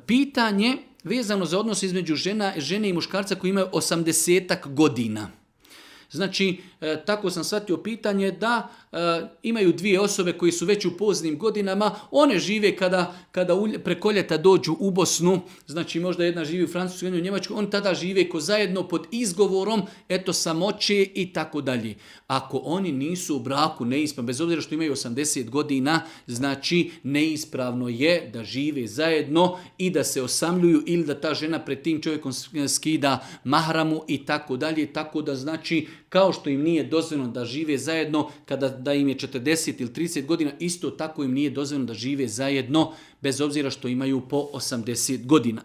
Pitanje vezano za odnos između žene i muškarca koji imaju 80 godina. Znači, tako sam shvatio pitanje da imaju dvije osobe koji su već u poznim godinama, one žive kada preko ljeta dođu u Bosnu, znači možda jedna živi u Francuskoj, jedna u Njemačkoj, oni tada žive ko zajedno pod izgovorom, eto samoće i tako dalje. Ako oni nisu u braku neispravno, bez obzira što imaju 80 godina, znači neispravno je da žive zajedno i da se osamljuju ili da ta žena pred tim čovjekom skida mahramu i tako dalje, tako da znači kao što im nije dozvoljeno da žive zajedno da im je 40 ili 30 godina, isto tako im nije dozvoljeno da žive zajedno bez obzira što imaju po 80 godina.